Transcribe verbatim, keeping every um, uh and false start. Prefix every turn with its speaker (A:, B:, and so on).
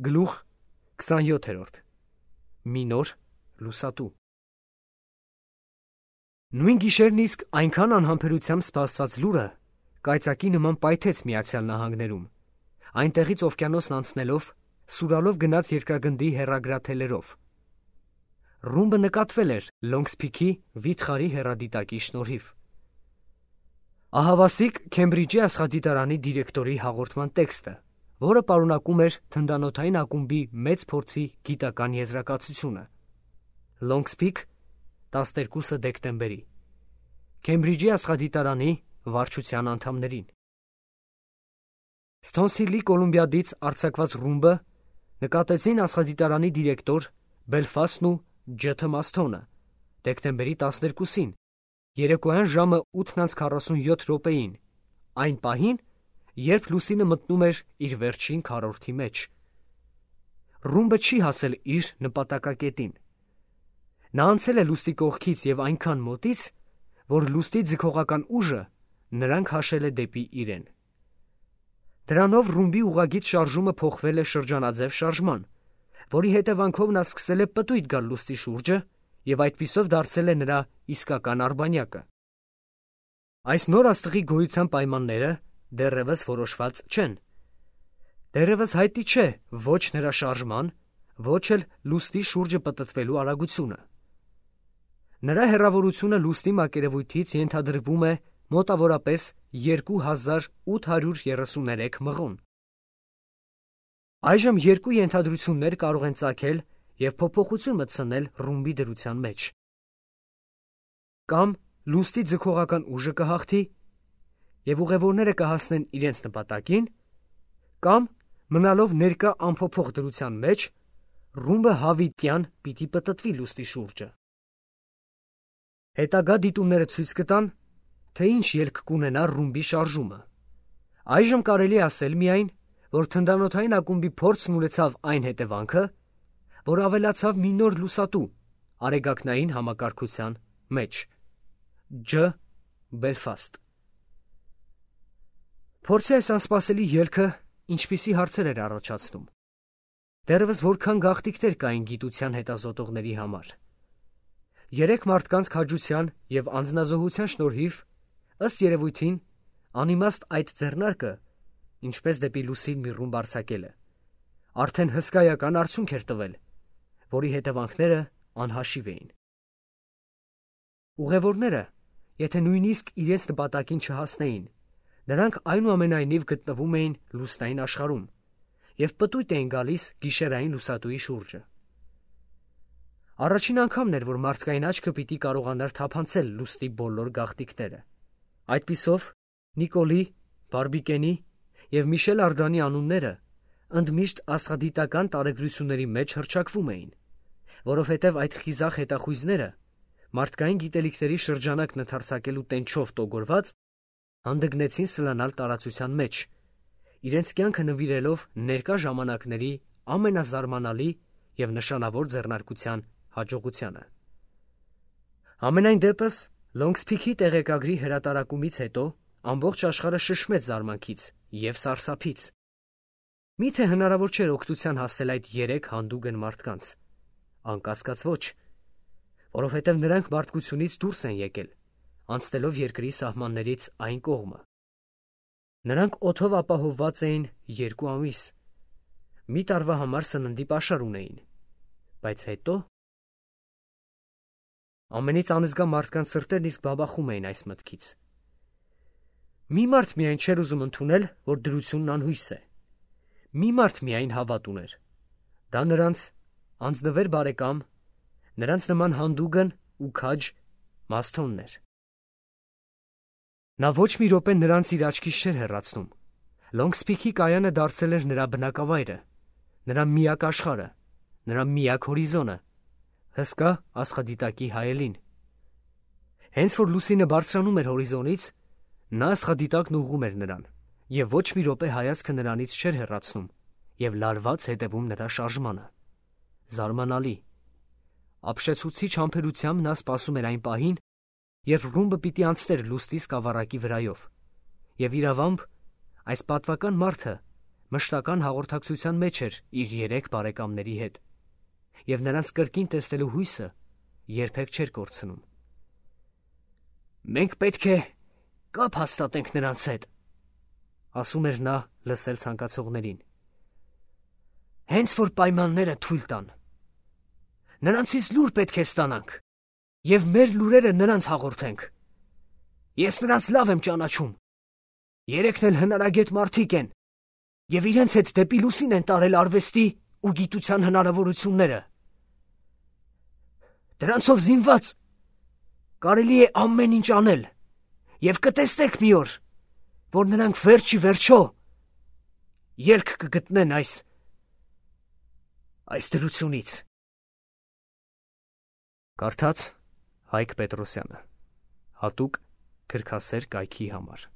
A: Գլուխ քսանյոթերորդ Մի նոր լուսատու։ Նույն գիշերն իսկ այնքան անհամբերությամբ սպասված լուրը կայծակի նման պայթեց Միացյալ Նահանգներում, այնտեղից օվկիանոսն անցնելով, սուրալով գնաց երկրագնդի հեռագրաթելերով։ Ռումբը նկատվել էր Լոնգսփիքի վիթխարի հեռադիտակի շնորհիվ։ Ահավասիկ Քեմբրիջի աստղադիտարանի դիրեկտորի հաղորդման տեքստը, որը պարունակում էր թնդանոթային ակումբի մեծ փորձի գիտական եզրակացությունը։ Լոնգսփիք, տասներկուսը դեկտեմբերի, Քեմբրիջի աստղադիտարանի վարչության անդամներին։ Սթոնսիլի Կոլումբիադից արձակված ռումբը նկատեցին աստղադիտարանի դիրեկտոր Բելֆասթն ու Ջ Թ Մասթոնը դեկտեմբերի տասներկուսին, երեկոյան ժամը ութ քառասունյոթ րոպեին, այն պահին, երբ լուսինը մտնում էր իր վերջին քառորդի մեջ։ Ռումբը չի հասել իր նպատակակետին։ Նա անցել է լուսնի կողքից և այնքան մոտից, որ լուսնի ձգողական ուժը նրան քաշել է դեպի իրեն։ Դրանով ռումբի ուղղագիծ շարժումը փոխվել է շրջանաձև շարժման, որի հետևանքով նա սկսել է պտույտ գալ լուսնի շուրջը և այդպիսով դարձել է նրա իսկական արբանյակը։ Այս նոր աստղի գոյության պայմանները դեռևս որոշված չեն։ Դեռևս հայտնի չէ ոչ նրա շարժման, ոչ էլ լուսնի շուրջը պտտվելու արագությունը։ Նրա հեռավորությունը լուսնի մակերևույթից ենթադրվում է մոտավորապես երկու հազար ութ հարյուր երեսուներեք մղոն։ Այժմ երկու ենթադրություններ կարող են ծագել և փոփոխություն մտցնել ռումբի դրության մեջ։ Կամ լուսնի ձգողական ուժը կհաղթի և ուղևորները կհասնեն իրենց նպատակին, կամ մնալով ներկա անփոփոխ դրության մեջ, ռումբը հավիտյան պիտի պտտվի լուսնի շուրջը։ Հետագա դիտումները ցույց կտան, թե ինչ ելք կունենա ռումբի շարժումը։ Այժմ կարելի է ասել միայն, որ թնդանոթային ակումբի փորձն ունեցավ այն հետևանքը, որ ավելացավ մի նոր լուսատու արեգակնային համակարգության մեջ՝ Ջ Բելֆասթ։ Փորձի այս անսպասելի ելքը ինչպիսի հարցեր էր առաջացնում։ Դեռևս որքան գաղտնիքներ կային գիտության հետազոտողների համար։ Երեք մարդկանց քաջության և անձնազոհության շնորհիվ, ըստ երևույթին, անիմաստ այդ ձեռնարկը, ինչպես դեպի լուսին մի ռումբ արձակելը, արդեն հսկայական արդյունք էր տվել, որի հետևանքները անհաշիվ էին։ Ուղևորները, եթե նույնիսկ իրենց նպատակին չհասնեին, նրանք այնուամենայնիվ գտնվում էին լուսնային աշխարհում և պտույտ էին գալիս գիշերային լուսատուի շուրջը։ Առաջին անգամն էր, որ մարդկային աչքը պիտի կարողանար թափանցել լուսնի բոլոր գաղտնիքները։ Այդպիսով Նիկոլի, Բարբիկենի և Միշել Արդանի անունները ընդմիշտ աստղադիտական տարեգրությունների մեջ հռչակվում էին, որովհետև այդ խիզախ հետախույզները, մարդկային գիտելիքների շրջանակ ընդարձակելու տենչով տոգորված, հանդգնեցին սլանալ տարածության մեջ, իրենց կյանքը նվիրելով ներկա ժամանակների ամենազարմանալի և նշանավոր ձեռնարկության հաջողությանը։ Համենայն դեպս, Լոնգսփիքի տեղեկագրի հրատարակումից հետո ամբողջ աշխարհը շշմեց զարմանքից և սարսափից։ Մի՞թե հնարավոր չէր օգնության հասնել այդ երեք հանդուգն մարդկանց։ Անկասկած ոչ, որովհետև նրանք մարդկությունից դուրս են եկել, անցնելով երկրի սահմաններից այն կողմը։ Նրանք օդով ապահովված էին երկու ամիս, մի տարվա համար սննդի պաշար ունեին, բայց հետո… Ամենից անզգա մարդկանց սրտերն իսկ բաբախում էին այս մտքից։ Մի մարդ միայն չէր ուզում ընդունել, որ դրությունն անհույս է։ Մի մարդ միայն հավատ ուներ։ Դա նրանց անձնվեր բարեկամ, նրանց նման հանդուգն ու քաջ Մասթոնն էր։ Նա ոչ մի րոպե նրանց իր աչքից չէր հեռացնում։ Լոնգսփիքի կայանը դարձել էր նրա բնակավայրը, նրա միակ աշխարհը, նրա միակ հորիզոնը, հսկա աստղադիտակի հայելին։ Հենց որ լուսինը բարձրանում էր հորիզոնից, նա աստղադիտակն ուղղում էր նրան, և ոչ մի րոպե հայացքը նրանից չէր հեռացնում և լարված հետևում նրա շարժմանը։ Զարմանալի։ Ապշեցուցիչ համբերությամբ նա սպասում էր այն պահին, երբ ռումբը պիտի անցներ լուսնի սկավառակի վրայով, և իրավամբ այս պատվական մարդը մշտական հաղորդակցության մեջ էր իր երեք բարեկամների հետ, և նրանց կրկին տեսնելու հույսը երբեք չէր կորցնում։ «Մենք պետք է կապ հաստատենք նրանց հետ», ասում էր նա լսել ցանկացողներին։ «Հենց որ պայմանները թույլ տան։ Նրանցից լուր պետք է ստանանք և մեր լուրերը նրանց հաղորդենք։ Ես նրանց լավ եմ ճանաչում։ Երեքն էլ հնարագետ մարդիկ են և իրենց հետ դեպի լուսին են տարել արվեստի ու գիտության հնարավորությունները։ Դրանցով զինված կարելի է ամեն ինչ անել և կտեսնեք մի օր, որ նրանք վերջ ի վերջո ելք կգտնեն այս այս դրությունից»։ Կարդաց Հայկ Պետրոսյանը, հատուկ գրքասեր կայքի համար։